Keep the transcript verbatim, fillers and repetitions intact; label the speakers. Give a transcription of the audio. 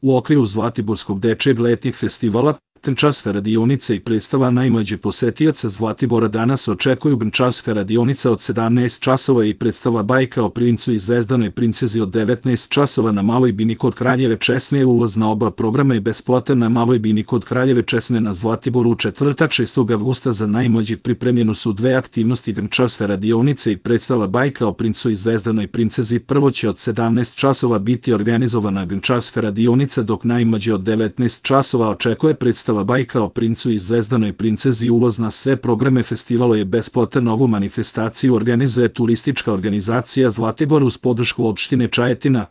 Speaker 1: U okviru Zlatiborskog dečijeg letnjeg festivala, Brnčarska radionica i predstava najmlađe posetioca Zlatibora danas očekuju Brnčarska radionica od sedamnaest časova i predstava Bajka o princu i zvezdanoj princezi od devetnaest časova na Maloj bini kod Kraljeve Česme. Ulaz na oba programa je besplatan na Maloj bini kod Kraljeve Česme na Zlatiboru. U četvrtak šestog avgusta za najmlađih pripremljeno su dve aktivnosti Brnčarska radionica i predstava Bajka o princu i zvezdanoj princezi. Prvo će od sedamnaest časova biti organizovana Brnčarska radionica, dok najmlađe od devetnaest časova očekuje predstava Bajka o princu i zvezdanoj princezi. Ulaz na sve programe festivala je besplatan. Ovu manifestaciju organizuje turistička organizacija Zlatibor uz podršku opštine Čajetina.